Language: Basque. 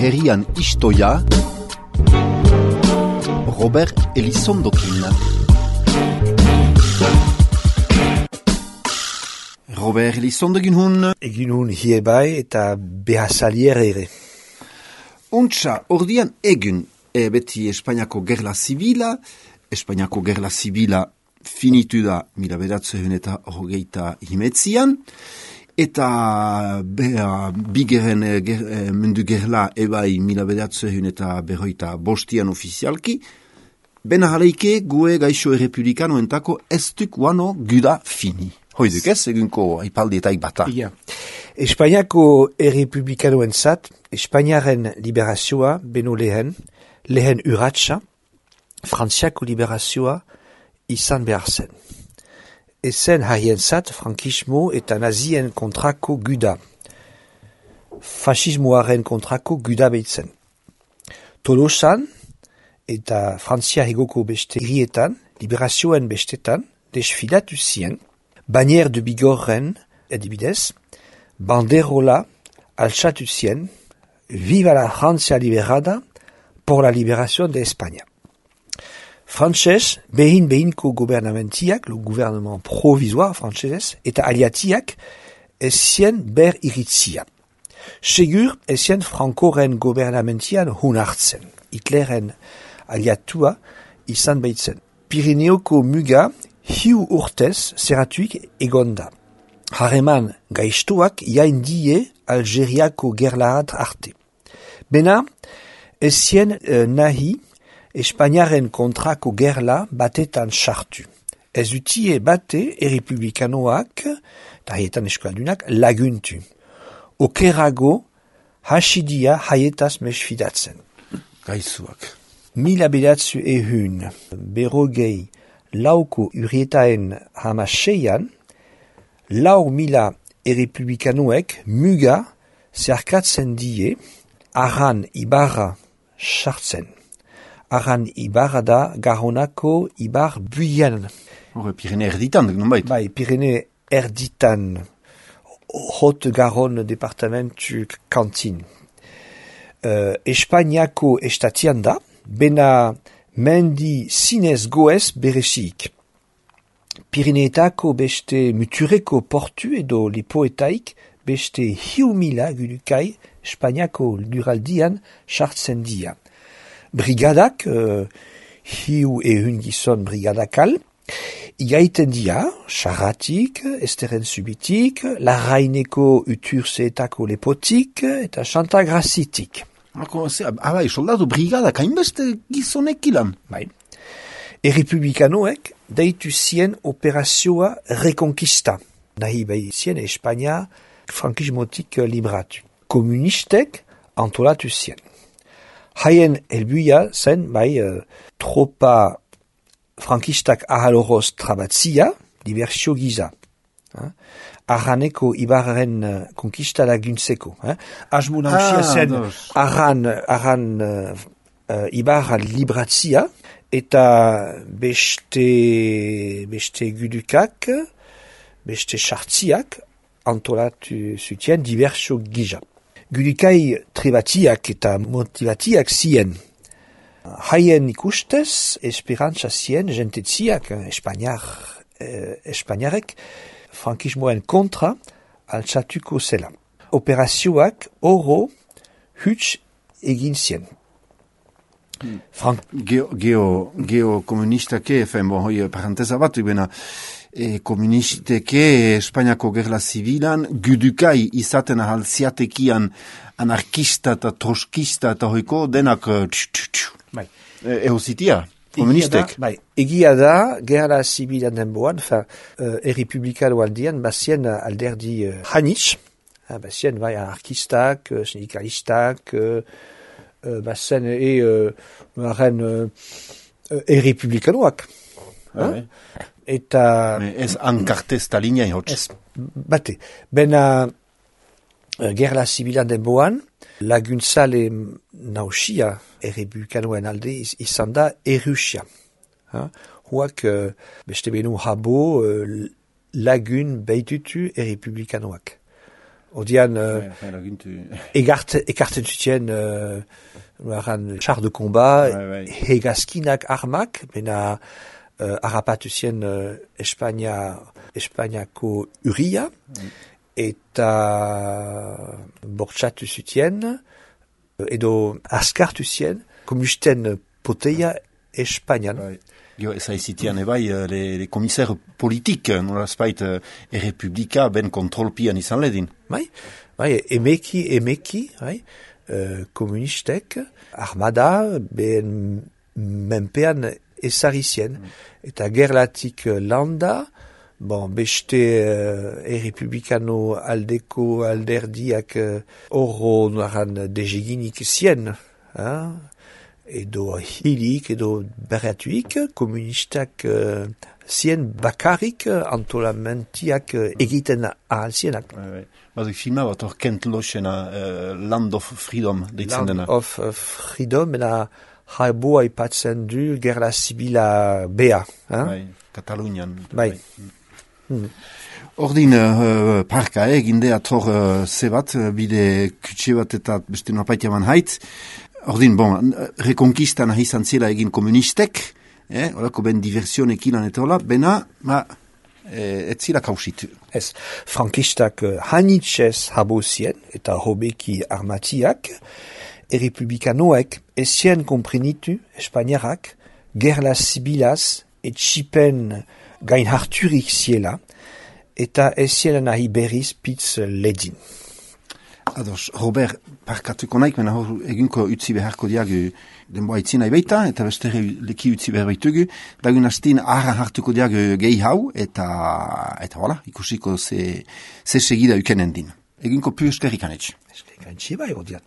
herrian istoia, Robert Elizondokin. Robert Elizondokin hun. Egin hun hiebai eta behazalier ere. Untsa, ordian egun, beti Espainiako gerla zibila, Espainiako gerla zibila finitu da 1929 eta bigeren mundu gerla ebai 1945 ofizialki, bena jaleike gue gaixo errepublikano entako ez duk guano guda fini. Hoiduk ez, egunko aipaldietak bata. Ja. Espainiako errepublikanoen zat, Espainiaren liberazioa beno lehen urratsa, Frantziako liberazioa izan behar zen. Ezen haien zat, frankismo eta nazien kontrako guda. Fasismoaren kontrako guda behitzen. Tolosan eta Frantzia hegoko beste hirietan, liberazioen bestetan, desfilatu zien, Banier de Bigorren, edibidez, banderola altzatu zien, Viva la Francia liberada por la liberación de España. Frantses, behinko gobernamentiak, le gouvernement provisoire frantses, eta aliatiak, ezien ber iritzia. Segur, ezien frankoren gobernamentian hun hartzen. Hitleren aliatua izan behitzen. Pirineoko muga, hiu urtez zeratuik egonda. Harreman gaiztuak jaindie Algeriako gerlaat arte. Bena, ezien nahi Espainiaren kontrako gerla batetan sartu. Ez utie bate errepublikanoak, eta haietan eskualdunak, laguntu. Okerago hasidia haietaz mesfidatzen. Gaizuak. Mila bedatzu ehun, berrogei lauko urietaen hamaseian, 4.000 errepublikanoek muga zerkatzen die Arran Ibarra sartzen. Arran Ibarra da Garonako Ibar buian. Hore, Pirene erditan, nonbait? Bai, Pirene erditan. Haute-Garonne departamentu kantin. Espainiako estatian da, bena mendi zinez goez berezik. Pireneetako beste mutureko portu edo lipoetaik beste 1.000 gudukai Espainiako luraldian sartzen dia. Brigadak, hiu ehun gizon brigadakal, igaiten dia, xarratik, esteren subitik, larraineko uturzeetako lepotik, eta xantagrazitik. Bai, soldadu brigadak, hainbeste gizonek ilan. Bai. Errepublikanoek deitu zien operazioa rekonkista. Nahi bai zien Espainia frankismotik libratu. Komunistek antolatu zien. Haien helbuia zen, bai, tropa frankistak ahaloroz trabatzia, diversio giza. Arraneko Ibarren konkista laguntzeko. Asmo nausia zen Arran Ibarra libratzia, eta beste gudukak, beste sartziak antolatu zutien diversio giza. Gudukai trebatiak eta motivatiak zien. Haien ikustez, esperantza zien jentetziak, Espainiarek, frankismoen kontra altzatuko zela. Operazioak oro huts egin zien. Geokomunistake, hoi paranteza bat, komunisteke Espainiako gerla zibilan, gudukai izaten ahalziatekian anarkista eta troskista eta hoiko denak Bai. Ehozitia, komunistek. Egia da, gerla zibilan denboan, errepublikano aldian, bazien alderdi hanitz, bazien anarkistak, sindikalistak, bazen errepublikanoak. Eta... Ez ankarte Stalina ihotz. Ez, bate. Bena gerla zibilan denboan, laguntzale nausia errepublikanoen alde izan da Errusia. Huak beste benu habo lagun behitutu errepublikanoak. Odian, ekartzen zuten, char de combat, hegazkinak armak, bena harrapatu zien Espainiako urria, eta bortxatu zuten, edo askartu zien, komusten poteia Espainian. Ça zitian les commissaires politiques, nolazpait errepublika ben kontrolpian izan ledin. Emeki, komunistek, armada, ben menpean ezarrizien. Eta gerlatik landa, beste errepublikano aldeko alderdiak horro naran dejeginik zien, edo hilik, edo berratuik, komunistak zien bakarrik antolamentiak egiten ahal zienak. Bazik filma bat hor Kent Lochena, Land of Freedom, deitzen dena. Land of Freedom, ena haiboa ipatzen du gerla zibila bea. Katalunian. Ordin parka eginde ator zebat, bide kutxe bat eta beste norpaitia man hait. Ordin, rekonkistan ahi zila egin komunistek, horako ben diversionekin eta hola, bena, ez zila kausitu. Ez, frankistak hanitxez habozien eta hobeki armatiak, errepublikanoek ezien komprenitu Espainiarak gerla zibilaz etxipen gain harturik ziela eta ezien nahi berriz pitz ledin. Ados, Robert, parkatuko naik, mena hor egunko utzi beharko diagu denboa itzina ibeita, eta beste leki utzi behar baitugu, dagun hastin ahra hartuko diagu gehi hau, eta voilà, ikusiko ze segida ukenen din. Egunko pu eskerrik anetx. Eskerrik anetx, bai, odiat.